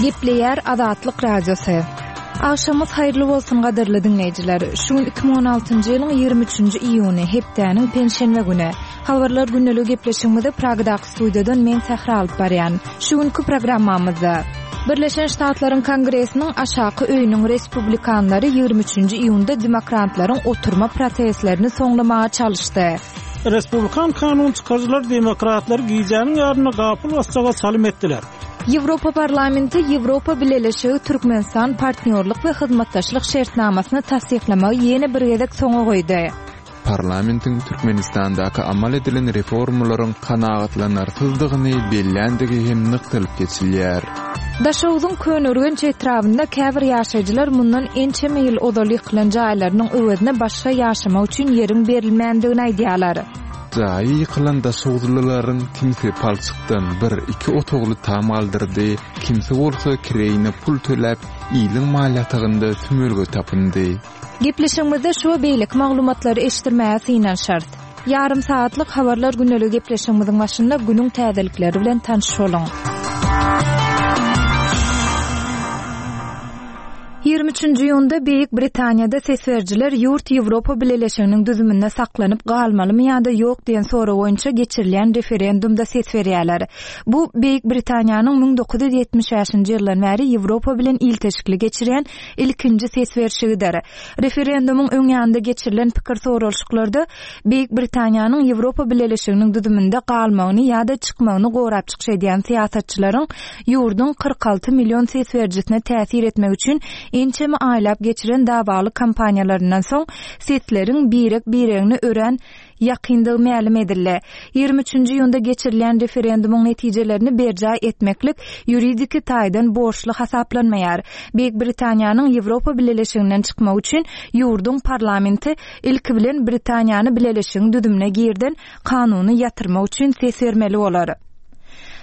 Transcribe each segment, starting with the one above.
Gepleýär Azatlyk Radiosy. Agşamyňyz haýyrly bolsun gadyrly diňleýjiler. Şu gün 2016-njy ýylyň 23-nji iýuny, hepdäniň penşenbe güni. Habarlar gündeligi gepleşigimizi Pragadaky studiýadan men Sähra alyp barýan. Şu günki programmamyzda Birleşen Ştatlaryň Kongresiniň aşaky öýüniň respublikanlary 23-nji iýunda demokratlaryň oturma protestlerini soňlamaga çalyşdy. Respublikan kanun çykaryjylar demokratlary gijäniň ýarynda gapyl basjaga çalym etdiler. Ýewropa Parlamenti Ýewropa Bileleşigi Türkmenistan partnýorlyk we hyzmatdaşlyk şertnamasyny tassyklamagy ýene bir gezek soňa goýdy. Parlamentiň Türkmenistandaky amal edilen reformalaryň kanagatlanarsyzdygyny belländigi hem nygtalyp geçilýär. Daşogzuň Köneürgenç etrabynda käbir ýaşaýjylar mundan ençeme ýyl ozal ýykylan jaýlarynyň öwezine başga ýaşamak üçin ýeriň berilmändigini aýdýarlar. Jaýy ýykylan daşoguzlylaryň kimsi palçykdan bir, iki otagly tam galdyrdy, kimsi bolsa kireýine pul töläp, iliň mal ýatagynda sümülge tapyndy. Gepleşigimizde şu we beýleki maglumatlary eşitdirmäge synanyşarys. Ýarym sagatlyk Habarlar gündeligi gepleşigimiziň başynda günüň täzelikleri bilen tanyş boluň. 23-nji iýunda Beýik Britaniýada ses berijiler ýurt Ýewropa Bileleşiginiň düzüminde saklanyp galmalymy ýa-da ýok diýen sorag boýunça geçirilýän referendumda ses berýärler. Bu Beýik Britaniýanyň 1975-nji ýyldan bäri Ýewropa bilen ilteşikli geçirýän ilkinji ses berşigidir. Referendumyň öň ýanynda geçirilen pikir soralyşyklarda Beýik Britaniýanyň Ýewropa Bileleşiginiň düzüminde galmagyny ýa-da çykmagyny gorap çykyş edýän syýasatçylaryň ýurduň 46 million ses berijisine täsir etmek üçin ençeme aýlap geçiren dawaly kampaniýalaryndan soň sesleriň birek-biregine örän ýakyndygy mälim edildi. 23-nji iýunda geçirilýän referendumyň netijelerini berjaý etmeklik ýuridiki taýdan borçly hasaplanmaýar. Beýik Britaniýanyň Ýewropa Bileleşiginden çykmagy üçin ýurduň parlamenti ilki bilen Britaniýany bileleşigiň düzümine girden kanuny ýatyrmak üçin ses bermeli bolar.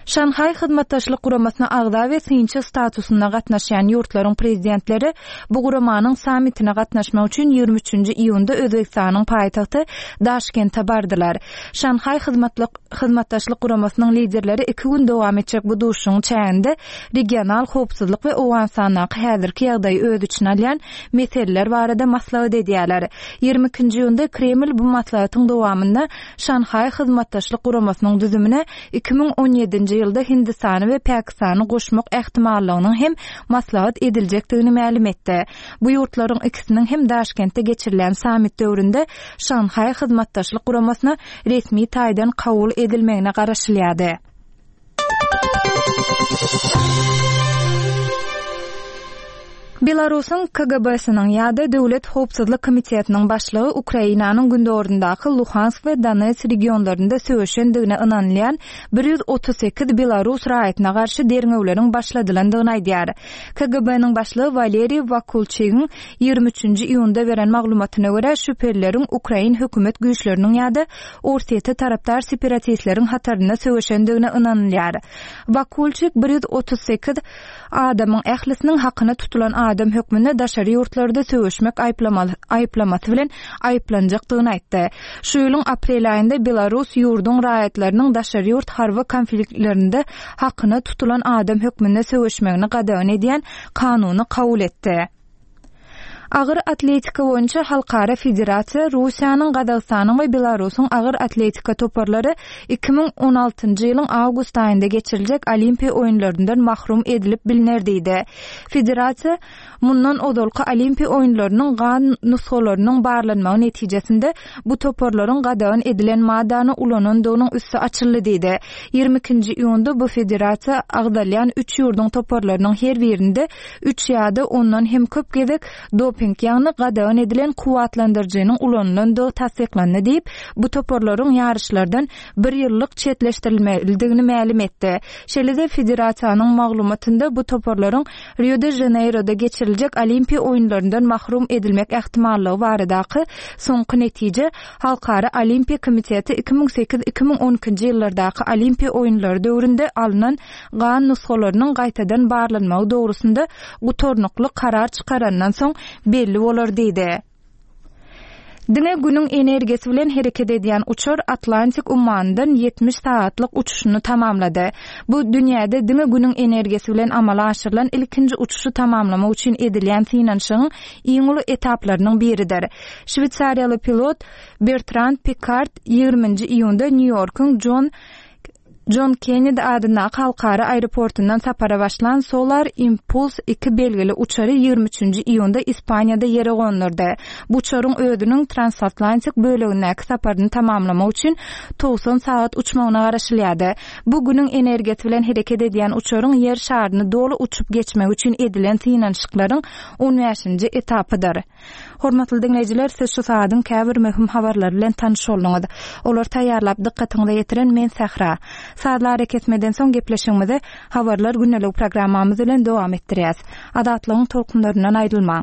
Şanhaý Hyzmatdaşlyk Guramasyna agza we synçy statusynda gatnaşýan ýurtlaryň prezidentleri bu guramanyň sammitine gatnaşmak üçin 23-nji iýunda Özbegistanyň paýtagty Daşkente bardylar. Şanhaý Hyzmatdaşlyk Guramasynyň liderleri iki gün dowam etjek bu duşuşygyň çäginde regional howpsuzlyk we Owganystandaky häzirki ýagdaýy öz içine alýan meseleler barada maslahat edýärler. 22-nji iýunda Kreml bu maslahatyň dowamynda Şanhaý Hyzmatdaşlyk Guramasynyň düzümine 2017-nji ýylda Hindistany we Pakistany goşmak ähtimallygynyň hem maslahat ediljekdigini mälim etdi. Bu ýurtlaryň ikisiniň hem Daşkentde geçirilen sammit döwründe Şanhaý Hyzmatdaşlyk Guramasyna resmi taýdan kabul edilmegine garaşylýardy. Belarusyň KGB-siniň ýa-da Döwlet howpsuzlyk komitetiniň başlygy Ukrainanyň gündogaryndaky Luhansk we Donetsk regionlarynda söweşendigine ynanylýan 138 belarus raýatyna garşy derňewleriň başladylandygyny aýdýar. KGB-niň başlygy Waleriý Wakulçigiň 23-nji iýunda beren maglumatyna görä, şübhelileriň ukrain hökümet güýçleriniň ýa-da Orsýete tarapdar separatistleriň hatarynda söweşendigine ynanylýar. Wakulçik 138 adamyň ählisiniň hakyna tutulan adam hökmünde daşary ýurtlarda söweşmek aýyplamasy bilen aýyplanjakdygyny aýtdy. Şu ýylyň aprel aýynda Belarus ýurduň raýatlarynyň daşary ýurt harby konfliktlerinde hakyna tutulan adam hökmünde söweşmegini gadagan edýän kanuny kabul etdi. Agyr atletika boýunça halkara federasiýa Russiýanyň, Gazagystanyň we Belarusyň agyr atletika toparlary 2016-njy ýylyň awgust aýynda geçiriljek Olimpiýa oýunlaryndan mahrum edilip bilner diýdi. Federasiýa mundan ozalky Olimpiýa oýunlarynyň gan nusgalarynyň barlanmagy netijesinde bu toparlaryň gadagan edilen maddany ulanandygynyň üsti açyldy diýdi. 22-nji iýunda bu federasiýa agzalýan üç ýurduň toparlarynyň her birinde üç ýa-da ondan hem köp gezek doping, ýagny gadagan edilen kuwwatlandyryjynyň ulanylandygy tassyklandy diýip, bu toparlaryň ýaryşlardan bir ýyllyk çetleşdirilmelidigini mälim etdi. Şeýle-de federasiýanyň maglumatynda bu toparlaryň Rio-de-Žaneýroda geçiriljek Olimpiýa oýunlaryndan mahrum edilmek ähtimallygy baradaky soňky netije Halkara Olimpiýa komiteti 2008, 2012-nji ýyllardaky Olimpiýa oýunlary döwründe alnan gan nusgalarynyň gaýtadan barlanmagy dogrusynda gutarnykly karar çykarandan soň belli bolar diýdi. Diňe Günüň energiýasy bilen hereket edýän uçar Atlantik ummanyndan 70 sagatlyk uçuşyny tamamlady. Bu, dünýäde diňe Günüň energiýasy bilen amala aşyrylan ilkinji uçuşy tamamlamak üçin edilýän synanyşygyň iň uly etaplarynyň biridir. Şweýsariýaly pilot Bertrand Pikard ýigriminji iýunda Nýu-Ýorkuň Jon Jon Kennedi adyndaky halkara aeroportundan sapara başlan Solar Impulse iki belgili uçary ýigrimi üçünji iýunda Ispaniýada ýere gondurdy. Bu uçaryň özüniň transatlantik bölegindäki saparyny tamamlamak üçin 90 sagat uçmagyna garaşylýardy. Bu Günüň energiýasy bilen hereket edýän uçaryň Ýer şaryny doly uçup geçmegi üçin edilen synanyşyklaryň on bäşinji etapydyr. Hormatly diňleýjiler, siz şu sagadyň käbir möhüm habarlary bilen tanyş bolduňyz. Olary taýýarlap dykgatyňyza ýetiren men Sähra. Sazly arakesmeden soň gepleşigimizi Habarlar gündeligi programmamyz bilen dowam etdirýäs. Azatlygyň tolkunlaryndan aýrylmaň.